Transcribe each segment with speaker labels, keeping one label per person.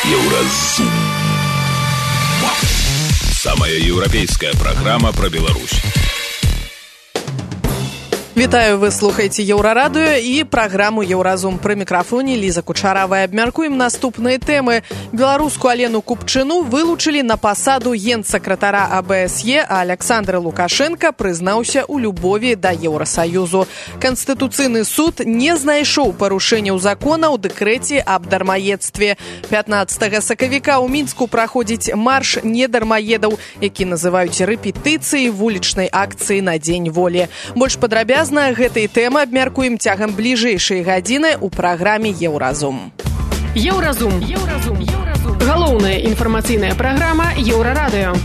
Speaker 1: Еўразум. Самая еўрапейская программа про Беларусь.
Speaker 2: Вітаю, вы слухаеце Еўрарадыё і праграму Еўразум. Пры мікрафоне Ліза Кучаравая. Абмяркуем наступныя тэмы. Беларускую Алену Купчыну вылучылі на пасаду генсакратара АБСЕ, а Александр Лукашенко прызнаўся ў любові да Еўрасаюзу. Канстытуцыйны суд не знайшоў парушэнняў закона ў дэкрэце аб дармаедстве. 15 сакавіка ў Мінску праходзіць марш недармаедаў, які называюць рэпетыцыяй вулічнай акцыі на Дзень волі. Больш падрабязна гэтай тэмы абмяркуем цягам бліжэйшай гадзіны ў праграме Еўразум.
Speaker 3: Еўразум. Галоўная інфармацыйная праграма Еўрарадыё.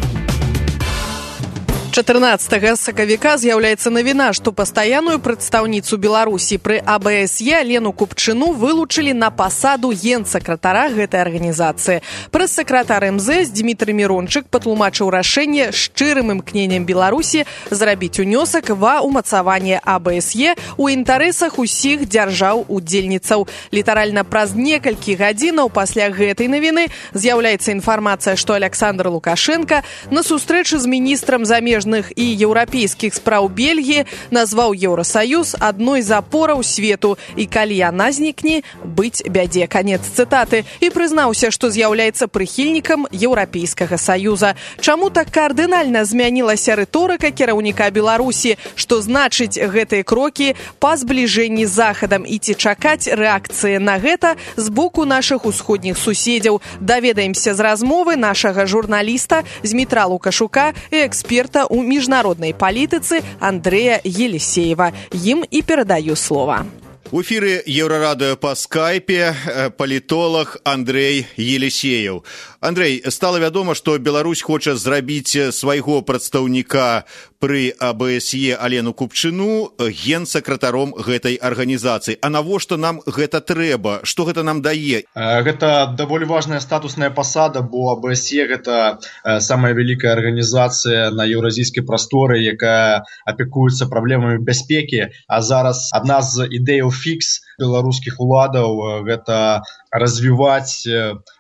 Speaker 2: 14 сакавіка з'яўляецца навіна, што пастаянную прадстаўніцу Беларусі пры АБСЕ Алену Купчыну вылучылі на пасаду генсакратара гэтай арганізацыі. Прэс-сакратар МЗС Дмітрый Мірончык патлумачыў рашэнне шчырым імкненнем Беларусі зрабіць унёсак ва ўмацаванне АБСЕ ў інтарэсах усіх дзяржаў-удзельніцаў. Літаральна праз некалькі гадзінаў пасля гэтай навіны з'яўляецца інфармацыя, што Александр Лукашенко на сустрэчы з міністрам замежных і еўрапейскіх спраў Бельгіі назваў Еўрасаюз адной з апораў свету і калі яна знікне, быць бядзе. Канец цытаты. І прызнаўся, што з'яўляецца прыхільнікам Еўрапейскага саюза. Чаму так кардынальна змянілася рыторыка кіраўніка Беларусі? Што значыць гэтыя крокі па збліжэнні з Захадам і ці чакаць рэакцыі на гэта з боку нашых усходніх суседзяў? Даведаемся з размовы нашага журналіста Змітра Лукашука і эксперта у міжнароднай палітыцы Андрэя Елисеева. Ім і перадаю слова.
Speaker 4: У эфіры Еўрарадыё па скайпе палітолог Андрэй Елисеев. Андрэй, стала вядома, што Беларусь хоча зрабіць свайго прадстаўніка пры АБСЕ Алену Купчыну генсакратаром гэтай арганізацыі. А навошта нам гэта трэба? Што гэта нам дае?
Speaker 5: Гэта даволі важная статусная пасада, бо АБСЕ гэта самая вялікая арганізацыя на еўразійскай прасторы, якая апекуецца праблемамі бяспекі. А зараз адна з ідэяў фікс беларускіх уладаў гэта развіваць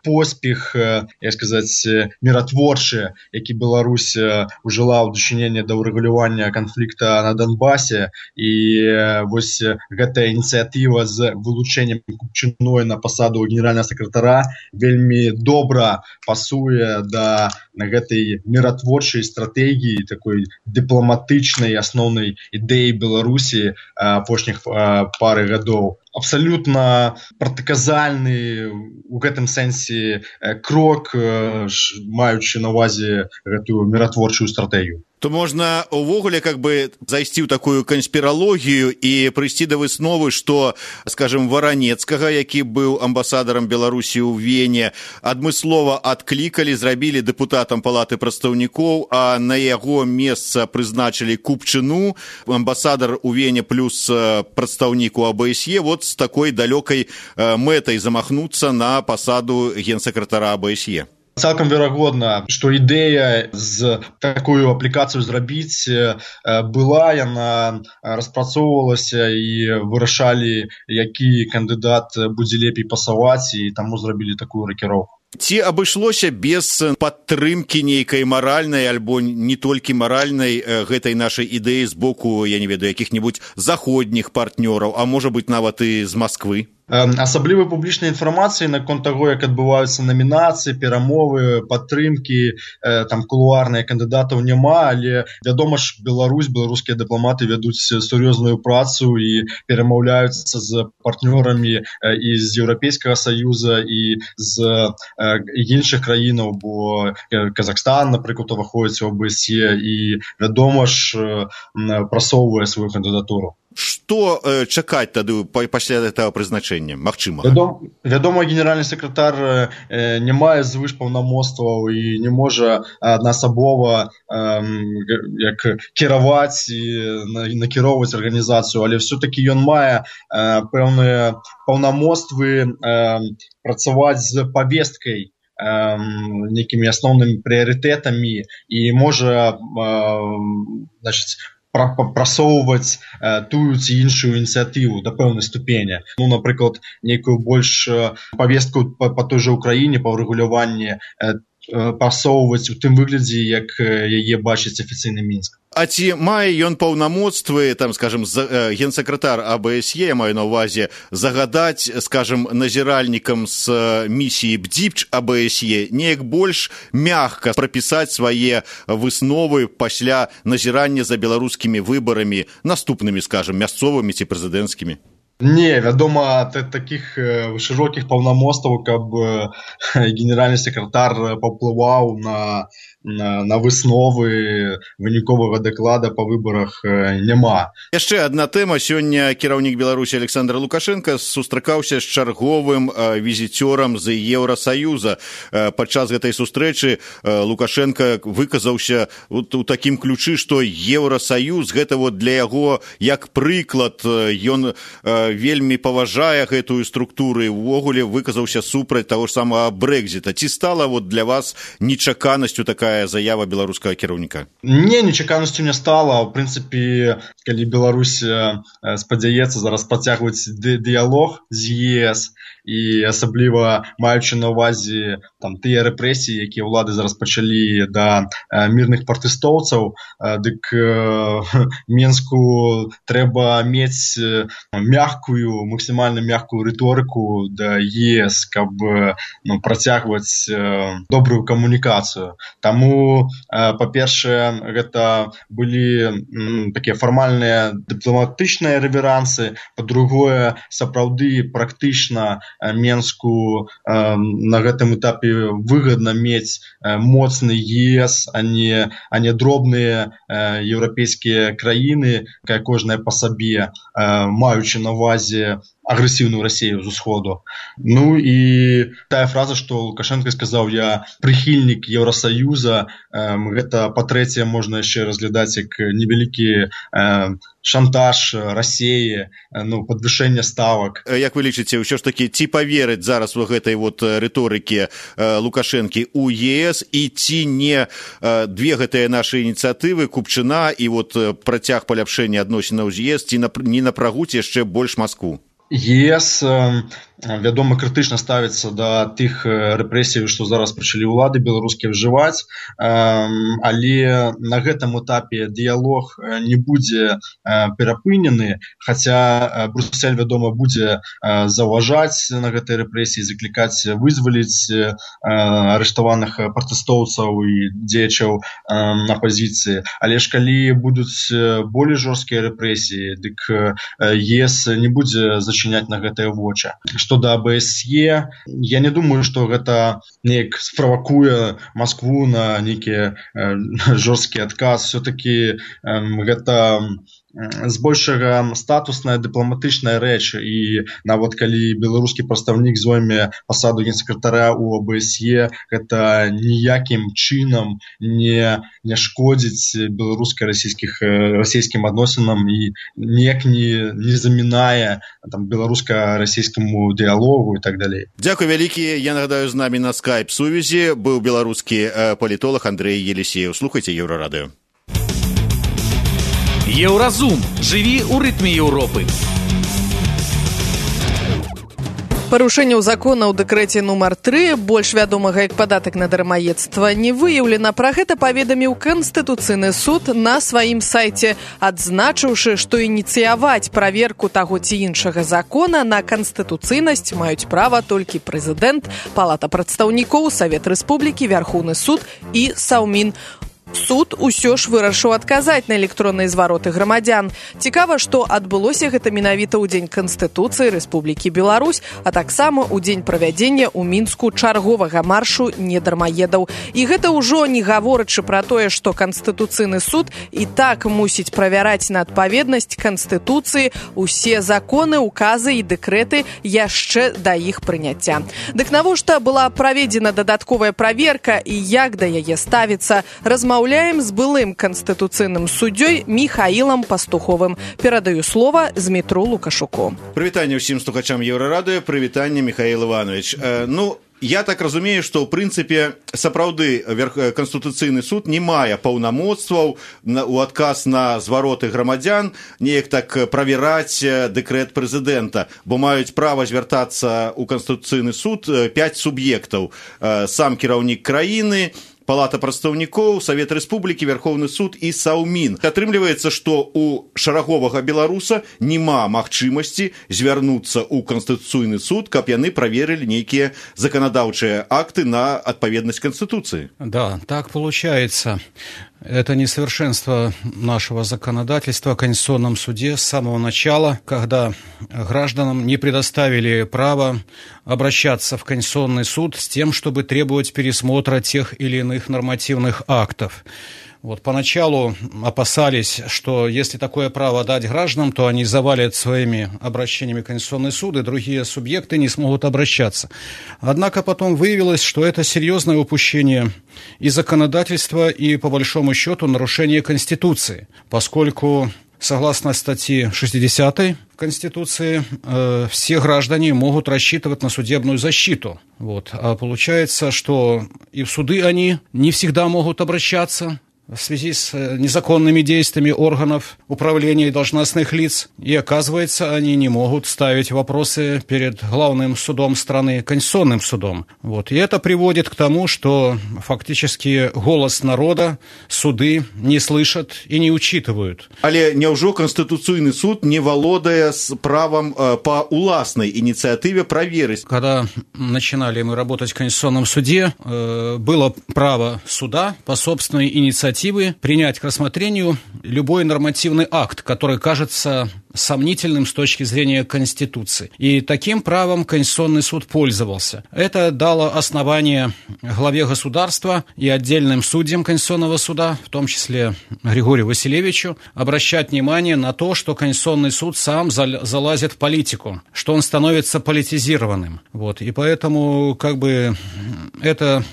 Speaker 5: поспех, як сказаць, міратворчы, які Беларусь ужыла ў дачыненні да ўрэгулявання канфлікта на Донбасе. І вось гэтая ініцыятыва з вылучэннем Купчыной на пасаду генеральнага сакратара вельмі добра пасуе да гэтай міратворчай стратэгіі, такой дыпламатычнай асноўнай ідэі Беларусі апошніх пары гадоў. Абсалютна пратаказальны у гэтым сэнсе крок, маючы на ўвазе гэтую міратворчую стратэгію.
Speaker 4: То можна увогуле зайсці ў такую канспіралогію і прыйсці да высновы, што, скажем, Варанецкага, які быў амбасадарам Беларусі ў Вене, адмыслова адклікалі, зрабілі дэпутатам палаты прадстаўнікоў, а на яго месца прызначылі Купчыну, амбасадар у Вене плюс прадстаўнік у АБСЕ, вот з такой далёкай мэтай замахнуцца на пасаду генсакратара АБСЕ.
Speaker 5: Цалкам верагодна, што ідэя з такую аплікацыю зрабіць была, яна распрацоўвалася і вырашалі, які кандыдат будзе лепей пасаваць, і таму зрабілі такую ракіроўку.
Speaker 4: Ці абышлося без падтрымкі нейкай маральнай альбо не толькі маральнай гэтай нашай ідэі з боку, я не ведаю, якіх-небудзь заходніх партнёраў, а можа быць нават і з Масквы?
Speaker 5: Асаблівай публічнай інфармацыі наконт таго, як адбываюцца намінацыі, перамовы, падтрымкі, там кулуарныя кандыдатаў няма, але вядома ж, беларускія дыпламаты вядуць сур'ёзную працу і перамаўляюцца з партнёрамі і з Еўрапейскага саюза, і з іншых краінаў, бо Казахстан, напрыклад, уваходзіць у АБСЕ і, вядома ж, прасоўвае сваю кандыдатуру.
Speaker 4: Што чакаць тады пасля гэтага прызначэння, магчыма?
Speaker 5: Вядома, генеральны сакратар не мае звышпаўнамоцтваў і не можа аднаасабова кіраваць і накіроўваць арганізацыю, але ўсё-такі ён мае пэўныя паўнамоцтвы працаваць з павесткай, нейкімі асноўнымі прыярытэтамі і можа прасоўваць тую ці іншую ініцыятыву да пэўнай ступені. Напрыклад, нейкую больш павестку па той жа Украіне па ўрэгуляванні прасоўваць у тым выглядзе, як яе бачыць афіцыйны Мінск.
Speaker 4: А ці мае ён паўнамоцтвы, там, скажем, генсакратар АБСЕ, я маю на ўвазе, загадаць, скажем, назіральнікам з місіі БДІПЧ АБСЕ неяк больш мягка прапісаць свае высновы пасля назірання за беларускімі выбарамі, наступнымі, скажем, мясцовымі ці прэзідэнцкімі?
Speaker 5: Не, вядома, такіх шырокіх паўнамоцтваў, каб генеральны сакратар паўплываў на высновы выніковага даклада па выбарах, няма.
Speaker 4: Яшчэ адна тэма. Сёння кіраўнік Беларусі Александр Лукашенко сустракаўся з чарговым візіцёрам з Еўрасаюза. Падчас гэтай сустрэчы Лукашенко выказаўся у такім ключы, што Еўрасаюз гэта для яго як прыклад, ён вельмі паважае гэтую структуру і ўвогуле выказаўся супраць таго ж самага Брэкзіта. Ці стала для вас нечаканасцю такая заява беларускага кіраўніка?
Speaker 5: Не, нечаканасцю не стала. В прынцыпе, калі Беларусь спадзяецца зараз працягваць дыялог з ЕС і асабліва маючы на ўвазе тыя рэпрэсіі, якія ўлады зараз пачалі да мірных пратэстоўцаў, дык Мінску трэба мець максімальна мягкую рыторыку да ЕС, каб працягваць добрую камунікацыю. Таму, па-першае, гэта былі такія фармальныя дыпламатычныя рэверансы, па-другое, сапраўды практычна Мінску на гэтым этапе выгадна мець моцны ЕС, а не дробныя еўрапейскія краіны, кожная па сабе, маючы на ўвазе агрэсіўную Расію з усходу. І тая фраза, што Лукашенко сказаў, я прыхільнік Еўрасаюза, гэта, па-трэцяе, можна яшчэ разглядаць як невялікі шантаж Расіі, падвышэнне ставак.
Speaker 4: Як вы лічыце, ўсё ж такі, ці паверыць зараз у гэтай рыторыкі Лукашэнкі ў ЕС, і ці не две гэтыя нашы ініцыятывы, Купчына і працяг паляпшэння адносінаў з ЕС, ці не напрагуць яшчэ больш Маскву?
Speaker 5: ЕС, вядома, крытычна ставіцца да тых рэпрэсій, што зараз пачалі ўлады беларускія ўжываць, але на гэтым этапе дыялог не будзе перапынены, хаця Брюссель, вядома, будзе заўважаць на гэтай рэпрэсіі, заклікаць вызваліць арыштаваных пратэстоўцаў і дзеячаў апазіцыі. Але ж калі будуць болей жорсткія рэпрэсіі, дык ЕС не будзе зачыняць на гэтыя вочы. Што да АБСЕ, я не думаю, што гэта неяк справакуе Маскву на нейкі жорсткі адказ. Все-таки гэта збольшага статусная дыпламатычная рэч, і нават калі беларускі прадстаўнік зойме пасаду генсакратара ў АБСЕ, гэта ніякім чынам не шкодзіць беларуска-расійскім адносінам і ніяк не замінае беларуска-расійскаму дыялогу і так далей.
Speaker 4: Дзякуй вялікі. Я нагадаю, з намі на скайп-сувязі быў беларускі палітолог Андрэй Елісеев. Слухайце Еўрарадыё.
Speaker 1: Еўразум. Жыві ў рытме Еўропы.
Speaker 2: Парушэнняў закона ў дэкрэце нумар 3, больш вядомага як падатак на дармаедства, не выяўлена. Пра гэта паведаміў Канстытуцыйны суд на сваім сайце, адзначыўшы, што ініцыяваць праверку таго ці іншага закона на канстытуцыйнасць маюць права толькі прэзідэнт, Палата прадстаўнікоў, Савет Рэспублікі, Вярхоўны суд і Саўмін. Суд усё ж вырашыў адказаць на электронныя звароты грамадзян. Цікава, што адбылося гэта менавіта ў дзень Канстытуцыі Рэспублікі Беларусь, а таксама ў дзень правядзення ў Мінску чарговага маршу недармаедаў. І гэта ўжо не гаворачы пра тое, што Канстытуцыйны суд і так мусіць правяраць на адпаведнасць Канстытуцыі усе законы, указы і дэкрэты яшчэ да іх прыняцця. Дык навошта была праведзена дадатковая праверка і як да яе ставіцца, размаўляем з былым канстытуцыйным суддзёй Міхаілам Пастуховым. Перадаю слова Змітру Лукашуку.
Speaker 4: Прывітанне ўсім слухачам Еўрарадыё. Прывітанне, Міхаіл Іванович. Я так разумею, што ў прынцыпе сапраўды Канстытуцыйны суд не мае паўнамоцтваў у адказ на звароты грамадзян неяк так правяраць дэкрэт прэзідэнта, бо маюць права звяртацца ў Канстытуцыйны суд 5 суб'ектаў: сам кіраўнік краіны, Палата прадстаўнікоў, Савет Рэспублікі, Верховны суд і Саўмін. Атрымліваецца, што у шараговага беларуса няма магчымасці звярнуцца ў Канстытуцыйны суд, каб яны праверылі нейкія заканадаўчыя акты на адпаведнасць Конституции.
Speaker 6: Да, так получается. Это несовершенство нашего законодательства в Конституционном суде с самого начала, когда гражданам не предоставили право обращаться в Конституционный суд с тем, чтобы требовать пересмотра тех или иных нормативных актов. Вот поначалу опасались, что если такое право дать гражданам, то они завалят своими обращениями Конституционный суд, и другие субъекты не смогут обращаться. Однако потом выявилось, что это серьезное упущение и законодательства, и, по большому счету, нарушение Конституции, поскольку, согласно статье 60 Конституции, все граждане могут рассчитывать на судебную защиту. Вот. А получается, что и в суды они не всегда могут обращаться в связи с незаконными действиями органов управления и должностных лиц. И, оказывается, они не могут ставить вопросы перед главным судом страны, Конституционным судом. Вот. И это приводит к тому, что фактически голос народа суды не слышат и не учитывают.
Speaker 4: Але няўжо Конституцыйны суд не валодае с правом по уласнай инициативе проверить?
Speaker 6: Когда начинали мы работать в Конституционном суде, было право суда по собственной инициативе принять к рассмотрению любой нормативный акт, который кажется сомнительным с точки зрения Конституции. И таким правом Конституционный суд пользовался. Это дало основание главе государства и отдельным судьям Конституционного суда, в том числе Григорию Василевичу, обращать внимание на то, что Конституционный суд сам залазит в политику, что он становится политизированным. Вот. И поэтому это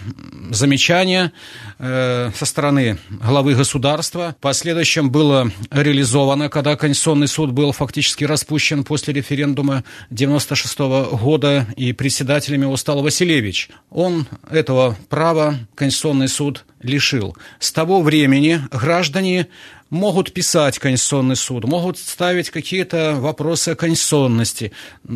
Speaker 6: замечание со стороны главы государства в последующем было реализовано, когда Конституционный суд был фактически распущен после референдума 1996 года, и председателем его стал Василевич. Он этого права Конституционный суд лишил. С того времени граждане могут писать Конституционный суд, могут ставить какие-то вопросы о конституционности.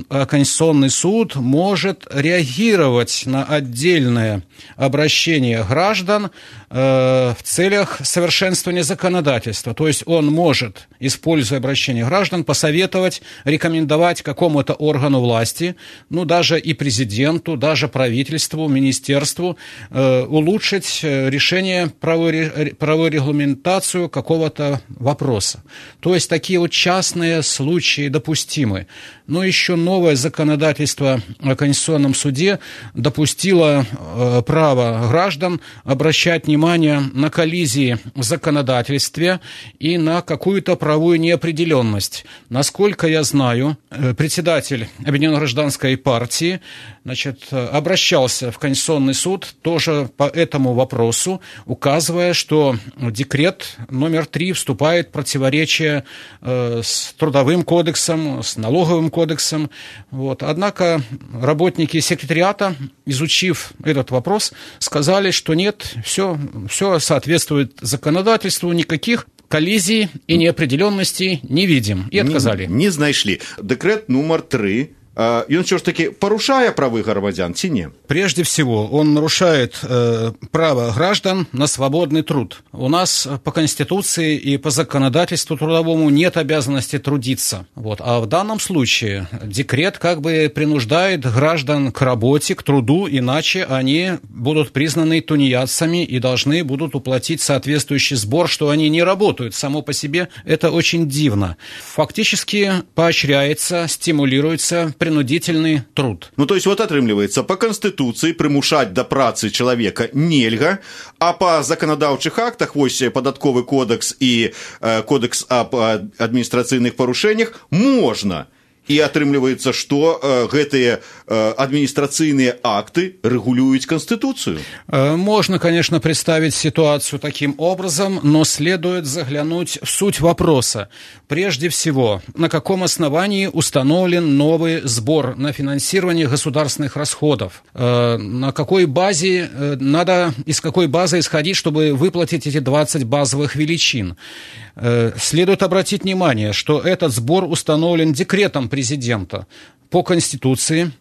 Speaker 6: А Конституционный суд может реагировать на отдельное обращение граждан в целях совершенствования законодательства. То есть он может, используя обращение граждан, посоветовать, рекомендовать какому-то органу власти, даже и президенту, даже правительству, министерству, улучшить решение, правовую регламентацию какого-то вопроса. То есть такие вот частные случаи допустимы. Но еще новое законодательство о Конституционном суде допустило право граждан обращать внимание на коллизии в законодательстве и на какую-то правовую неопределенность. Насколько я знаю, председатель Объединенной гражданской партии обращался в Конституционный суд тоже по этому вопросу, указывая, что декрет номер 3 вступает в противоречие с Трудовым кодексом, с Налоговым кодексом. Вот. Однако работники секретариата, изучив этот вопрос, сказали, что нет, все соответствует законодательству, никаких коллизий и неопределенностей не видим. И отказали.
Speaker 4: Не знайшли. Декрет номер 3. Ён все ж таки порушае правы громадян, ці не?
Speaker 6: Прежде всего, он нарушает право граждан на свободный труд. У нас по Конституции и по законодательству трудовому нет обязанности трудиться. Вот. А в данном случае декрет принуждает граждан к работе, к труду, иначе они будут признаны тунеядцами и должны будут уплатить соответствующий сбор, что они не работают. Само по себе это очень дивно. Фактически поощряется, стимулируется принудительный труд.
Speaker 4: То есть атрымліваецца, по Конституции прымушаць да працы человека нельга, а по законодаўчых актах, податковый кодекс и кодекс об административных порушениях можно. И атрымліваецца, што гэтыя административные акты регулируют Конституцию.
Speaker 6: Можно, конечно, представить ситуацию таким образом, но следует заглянуть в суть вопроса. Прежде всего, на каком основании установлен новый сбор на финансирование государственных расходов? На какой базе из какой базы исходить, чтобы выплатить эти 20 базовых величин? Следует обратить внимание, что этот сбор установлен декретом президента по Конституции,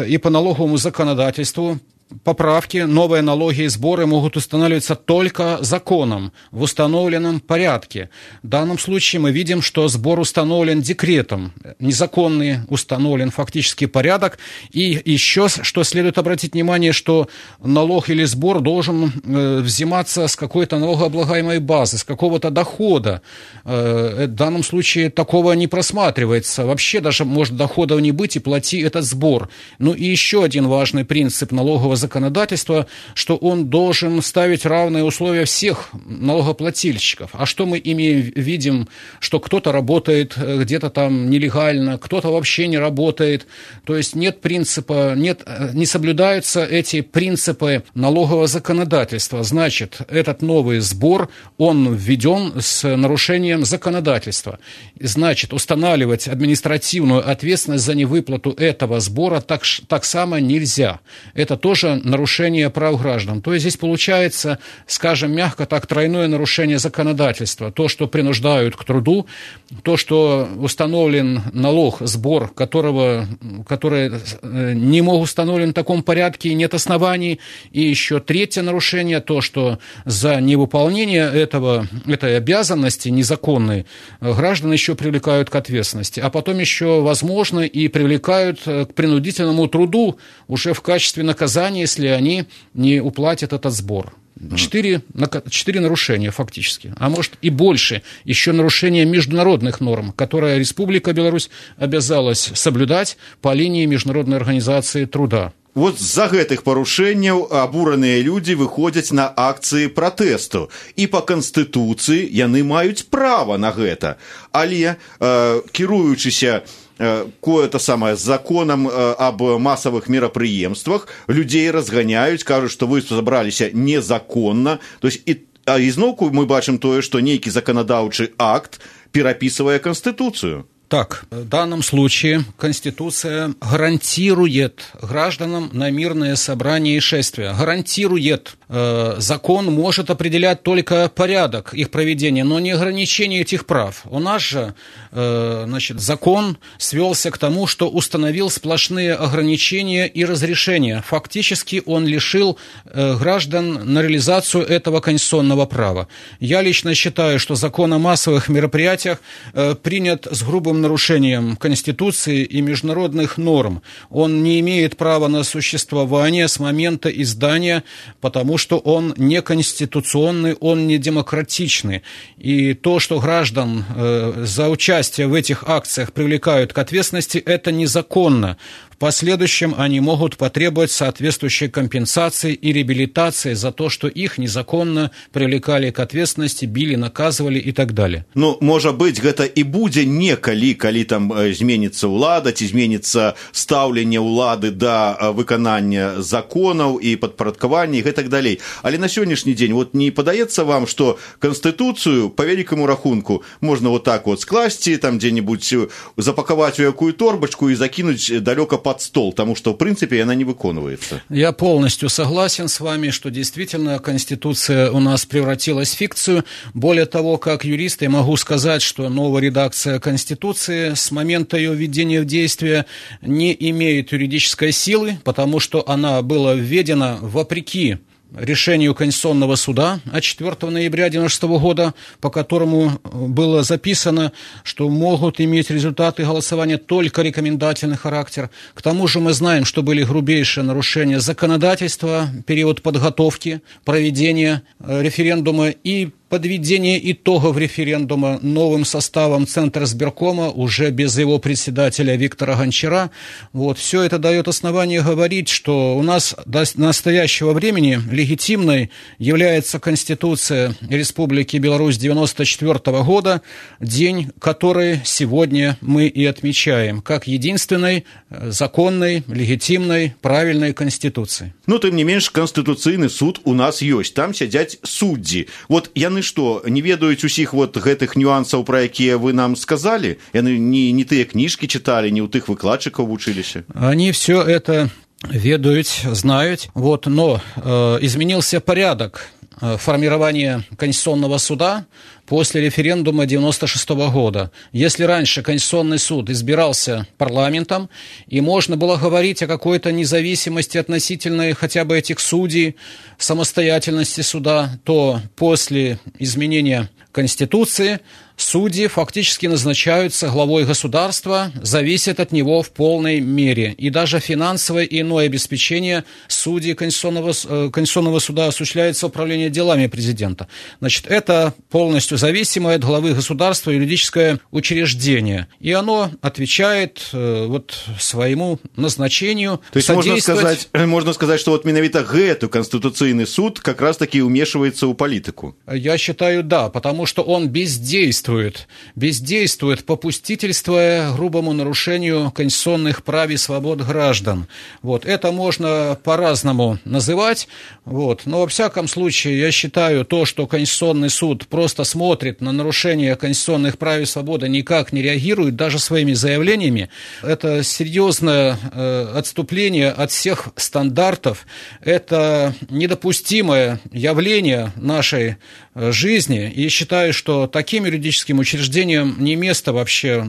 Speaker 6: и по налоговому законодательству. Поправки, новые налоги и сборы могут устанавливаться только законом в установленном порядке. В данном случае мы видим, что сбор установлен декретом, незаконный установлен фактический порядок. И еще, что следует обратить внимание, что налог или сбор должен взиматься с какой-то налогооблагаемой базы, с какого-то дохода. В данном случае такого не просматривается. Вообще даже может доходов не быть, и плати этот сбор. Ну и еще один важный принцип налогового законодательства, что он должен ставить равные условия всех налогоплательщиков. А что мы видим, что кто-то работает где-то там нелегально, кто-то вообще не работает. То есть нет принципа, не соблюдаются эти принципы налогового законодательства. Значит, этот новый сбор, он введен с нарушением законодательства. Значит, устанавливать административную ответственность за невыплату этого сбора так само нельзя. Это тоже нарушение прав граждан. То есть здесь получается, скажем мягко так, тройное нарушение законодательства. То, что принуждают к труду, то, что установлен налог, сбор, который не мог установлен в таком порядке и нет оснований. И еще третье нарушение, то, что за невыполнение этой обязанности незаконной граждан еще привлекают к ответственности. А потом еще, возможно, и привлекают к принудительному труду уже в качестве наказания, если они не уплатят этот сбор. 4 нарушения фактически, а может и больше. Еще нарушение международных норм, которые Республика Беларусь обязалась соблюдать по линии Международной организации труда.
Speaker 4: Вот з-за гэтых парушэнняў абураныя людзі выходзяць на акцыі пратэсту. І па Канстытуцыі яны маюць права на гэта. Але, кіруючыся законам об массовых мерапрыемствах, людей разгоняют, кажут, что вы собрались незаконно. То есть, изноўку мы бачым тое, что нейкі законодаўчы акт перапісывае Конституцию.
Speaker 6: Так, в данном случае Конституция гарантирует гражданам на мирное собрание и шествия. Гарантирует. Закон может определять только порядок их проведения, но не ограничение этих прав. У нас же закон свелся к тому, что установил сплошные ограничения и разрешения. Фактически он лишил граждан на реализацию этого конституционного права. Я лично считаю, что закон о массовых мероприятиях принят с грубым нарушением Конституции и международных норм. Он не имеет права на существование с момента издания, потому что он неконституционный, он не демократичный. И то, что граждан за участие в этих акциях привлекают к ответственности, это незаконно. В последующем они могут потребовать соответствующей компенсации и реабилитации за то, что их незаконно привлекали к ответственности, били, наказывали и так далее.
Speaker 4: Ну, может быть, гэта и будзе некалі, калі там зменится ўлада, ці зменится стаўленне ўлады да выканання законаў і падпарадкавання і гэтак далей. Але на сённяшні дзень вот не падаецца вам, что Конституцию по великому рахунку можно вот так вот скласці, там где-нибудь запаковать в якую торбочку и закинуть далеко под стол, потому что, в принципе, она не выконывается.
Speaker 6: Я полностью согласен с вами, что действительно Конституция у нас превратилась в фикцию. Более того, как юрист, я могу сказать, что новая редакция Конституции с момента ее введения в действие не имеет юридической силы, потому что она была введена вопреки решению Конституционного суда от 4 ноября 1996 года, по которому было записано, что могут иметь результаты голосования только рекомендательный характер. К тому же мы знаем, что были грубейшие нарушения законодательства, период подготовки, проведения референдума и подведение итогов референдума новым составом Центризбиркома, уже без его председателя Виктора Гончара. Вот, все это дает основание говорить, что у нас до настоящего времени легитимной является Конституция Республики Беларусь 1994 года, день, который сегодня мы и отмечаем, как единственной законной, легитимной, правильной Конституции.
Speaker 4: Ну, тым не менш, Конституцыйны суд у нас ёсць, там сядзяць суддзі. Вот яны што, не ведаюць усіх вот гэтых нюансаў, пра якія вы нам сказали? Яны не тыя кніжкі чыталі, не ў тых выкладчыкаў вучыліся?
Speaker 6: Они все это ведают, знают, вот, но изменился порядок формирования Конституционного суда после референдума 1996 года. Если раньше Конституционный суд избирался парламентом, и можно было говорить о какой-то независимости относительной хотя бы этих судей, самостоятельности суда, то после изменения Конституции судьи фактически назначаются главой государства, зависят от него в полной мере. И даже финансовое и иное обеспечение судей Конституционного суда осуществляется управление делами президента. Значит, это полностью зависимое от главы государства юридическое учреждение. И оно отвечает вот своему назначению.
Speaker 4: То есть можно сказать, что вот менавіта гэты Конституционный суд как раз-таки умешивается в политику.
Speaker 6: Я считаю, да, потому что он бездействует, попустительствуя грубому нарушению конституционных прав и свобод граждан. Вот. Это можно по-разному называть, вот. Но во всяком случае я считаю то, что Конституционный суд просто смотрит на нарушение конституционных прав и свободы, никак не реагирует, даже своими заявлениями, это серьезное отступление от всех стандартов, это недопустимое явление нашей жизни, и считаю, что таким юридическим учреждениям не место вообще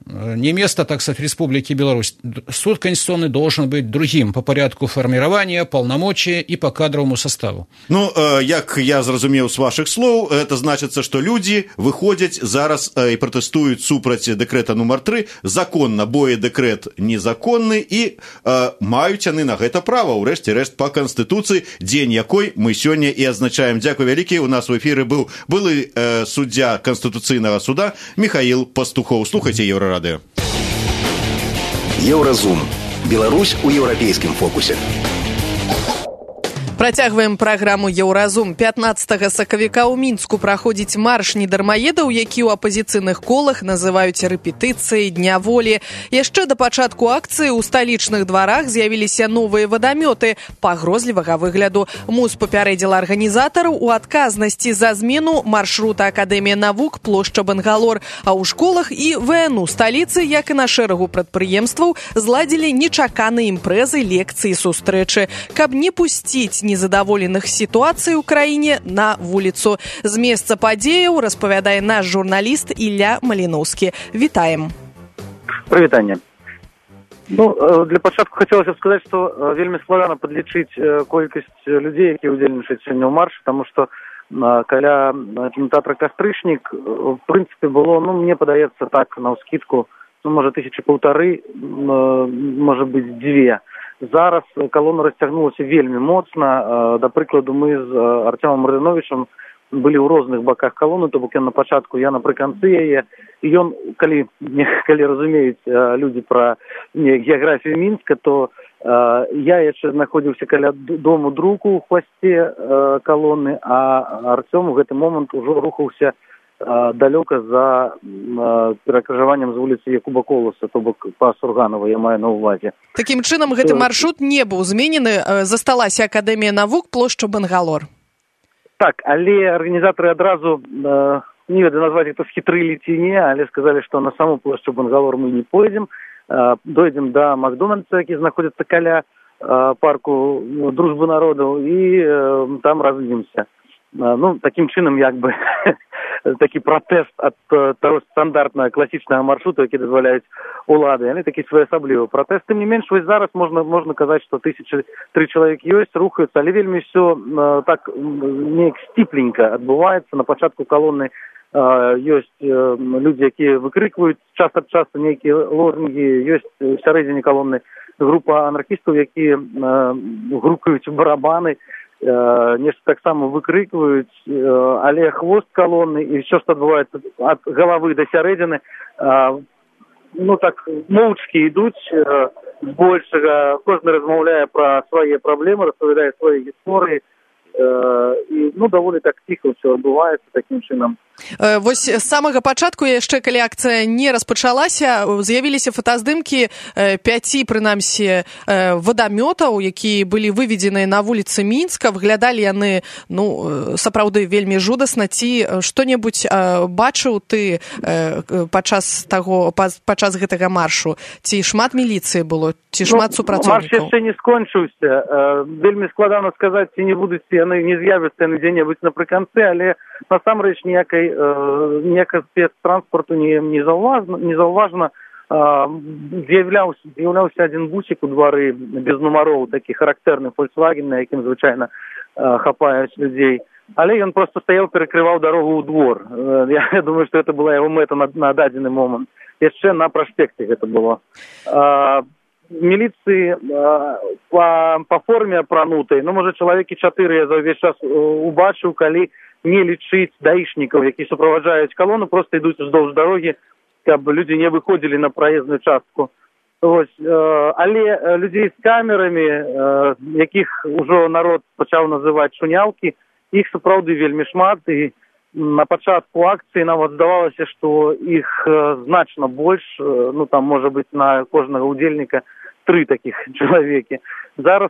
Speaker 6: не место, так сказать, Республики Беларусь. Суд конституционный должен быть другим по порядку формирования, полномочия и по кадровому составу.
Speaker 4: Ну, як я зразумеў з ваших слов, это значится, что люди выходят зараз и протестуют супраць дэкрэта нумар 3 законно, бо и дэкрэт незаконны, и маюць яны на гэта права, у рэшце-рэшт по Конституции, день якой мы сегодня и означаем. Дякую вялікі, у нас в эфире был былы суддзя Конституцыйнага суда Михаил Пастухов. Слухайте Еврорадио.
Speaker 7: Еўразум. Беларусь у еўрапейскім фокусе.
Speaker 2: Працягваем праграму «Еўразум». 15 сакавіка ў Мінску праходзіць марш недармаедаў, які ў апазіцыйных колах называюць рэпетыцыяй Дня волі. Яшчэ да пачатку акцыі ў сталічных дварах з'явіліся новыя вадамёты пагрозлівага выгляду. МУЗ папярэдзіла арганізатараў у адказнасці за змену маршрута Акадэмія навук плошча Бангалор, а ў школах і ВНУ сталіцы, як і на шэрагу прадпрыемстваў, зладзілі нечаканыя імпрэзы, лекцыі, сустрэчы, каб не пусціць незадаволеных сітуацый у краіне на вуліцу. З месца падзеяў распавядае наш журналіст Ілля Маліноўскі. Вітаем.
Speaker 8: Прывітанне. Ну, для пачатку хацелася б сказаць, што вельмі складана падлічыць колькасць людзей, якія ўдзельнічаюць сёння ў маршы, таму што каля кінотэатра «Кастрычнік» в прынцыпе было, мне падаецца так, наўскідку, можа, 1500, можа быць, 2. Зараз колона расцягнулася вельмі моцна. Да прыкладу, мы з Артёмом Рыновичам былі ў розных баках колоны, то бок ён на пачатку, я напрыканцы яе. І ён, калі разумеюць людзі пра геаграфію Мінска, то я яшчэ знаходзіўся каля дому друку ў хвасце колоны, а Артём у гэты момант ужо рухаўся далёка за перакрыжаваннем з вуліцы Якуба Коласа, то бок па Сурганова, я маю на ўвазе.
Speaker 2: Такім чынам, гэты маршрут не быў зменены, засталася Акадэмія навук плошча Бангалор.
Speaker 8: Так, але арганізатары адразу, не ведаю, назваць гэта схітрылі ці не, але сказалі, што на саму плошчу Бангалор мы не пойдзем, дойдзем да Макдональдса, які знаходзіцца каля парку Дружбы народаў, і там разыдземся. Таким чынам, як бы, такі пратэст ад таго стандартнага класічнага маршрута, які дазваляюць улады, яны такі своеасаблівы пратэст. Тым не менш, вось зараз можна казаць, што 1003 чалавек ёсць, рухаюцца, але вельмі ўсё так неяк сціпленька адбываецца. На пачатку колоны ёсць людзі, якія выкрыкваюць час ад часу нейкія лозунгі, ёсць у сярэдзіне колоны група анархістаў, якія грукаюць барабаны, нешта таксама выкрыкваюць, але хвост калоны і ўсё, што адбываецца ад галавы да сярэдзіны, так моўчкі ідуць, збольшага кожны размаўляе пра свае праблемы, распавядае свае гісторыі, і даволі так ціха ўсё адбываецца такім чынам.
Speaker 2: Вось з самага пачатку, яшчэ калі акцыя не распачалася, з'явіліся фотаздымкі 5, прынамсі, вадамётаў, якія былі выведзеныя на вуліцы Мінска. Выглядалі яны, сапраўды вельмі жудасна. Ці што-небудзь бачыў ты падчас гэтага маршу? Ці шмат міліцыі было? Ці шмат супрацоўнікаў?
Speaker 8: Марш яшчэ не скончыўся. Вельмі складана сказаць, ці не будуць яны, не з'явяцца яны дзе-небудзь напрыканцы, але насамрэч ніякай спецтранспорту не заўважна. З'яўляўся адзін бусік у двары без нумароў, такі характэрны Volkswagen, на якім звычайна хапаюць людзей. Але ён проста стаяў, перакрываў дарогу ў двор. Я думаю, што гэта была яго мэта на дадзены момант. Яшчэ на праспекце гэта было. Міліцыі па форме апранутай, можа, чалавекі 4 я за ўвесь час убачыў, калі не лічыць даішнікаў, які суправаджаюць калону, проста ідуць уздоўж дарогі, каб людзі не выходзілі на праездную частку. Але людзей з камерамі, якіх ужо народ пачаў называць шуняўкі, іх сапраўды вельмі шмат, і на пачатку акцыі нават здавалася, што іх значна больш, там можа быць на кожнага удзельніка 3 такіх чалавекі. Зараз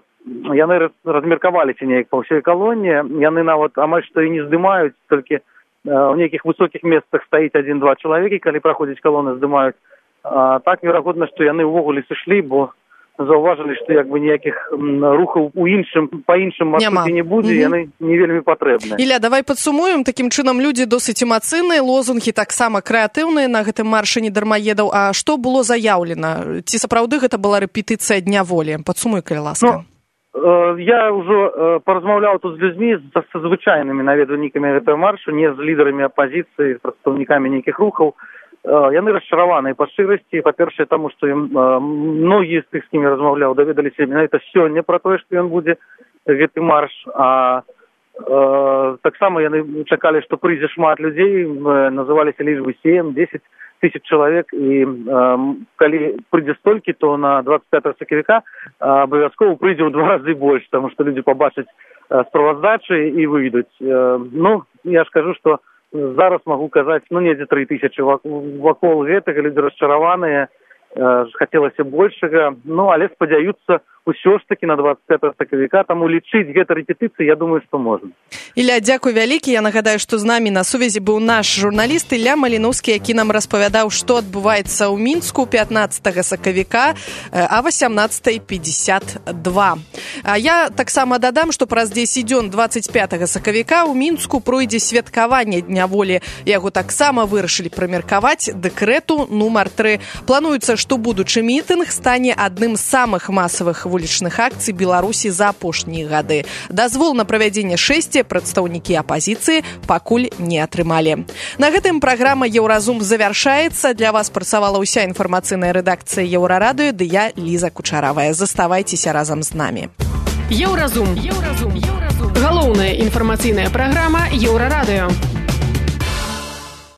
Speaker 8: яны размеркаваліся неяк па ўсёй калоне, яны нават амаль што і не здымаюць, толькі ў нейкіх высокіх месцах стаіць 1-2 чалавекі, калі праходзіць калоны, здымаюць. Так, верагодна, што яны ўвогуле сышлі, бо заўважылі, што ніякіх рухаў па іншым маршруце не будзе, яны не вельмі патрэбныя.
Speaker 2: Ілля, давай падсумуем. Такім чынам, людзі досыць эмацыйныя, лозунгі таксама крэатыўныя на гэтым маршы недармаедаў. А што было заяўлена? Ці сапраўды гэта была рэпетыцыя Дня волі? Падсумуй, калі ласка.
Speaker 8: Я ўжо паразмаўляў тут з людзьмі, са звычайнымі наведвальнікамі гэтага маршу, не з лідарамі апазіцыі, з прадстаўнікамі нейкіх рухаў. Яны расчараваныя па шчырасці, па-першае, таму, што многія з тых, з кімі размаўляў, даведаліся менавіта сёння пра тое, што ён будзе гэты марш, а таксама яны чакалі, што прыйдзе шмат людзей, называліся лічбы 7-10 тысяч чалавек, і калі прыйдзе столькі, то на 25 сакавіка абавязкова прыйдзе ў 2 разы больш, таму што людзі пабачаць справаздачы і выйдуць. Я ж кажу, што зараз магу казаць, недзе 3000 вакол гэтага, людзі расчараваныя, хацелася большага, але спадзяюцца ўсё ж такі на 25 сакавіка, таму лічыць гэта рэпетыцыі, я думаю, што можна.
Speaker 2: Ілля, дзякуй вялікі. Я нагадаю, што з намі на сувязі быў наш журналіст Ілля Маліноўскі, які нам распавядаў, што адбываецца ў Мінску 15 сакавіка а 18:52. Я таксама дадам, што праз 10 дзён 25 сакавіка ў Мінску пройдзе святкаванне Дня волі. Яго таксама вырашылі прымеркаваць дэкрэту нумар 3. Плануецца, што будучы мітынг стане адным з самых масавых вулічных акцый Беларусі за апошнія гады. Дазвол на правядзенне шэсці прадстаўнікі апазіцыі пакуль не атрымалі. На гэтым праграма «Еўразум» завяршаецца. Для вас працавала ўся інфармацыйная рэдакцыя Еўрарадыё, ды я, Ліза Кучаравая. Заставайцеся разам з намі.
Speaker 3: Еўразум. Галоўная інфармацыйная праграма Еўрарадыё.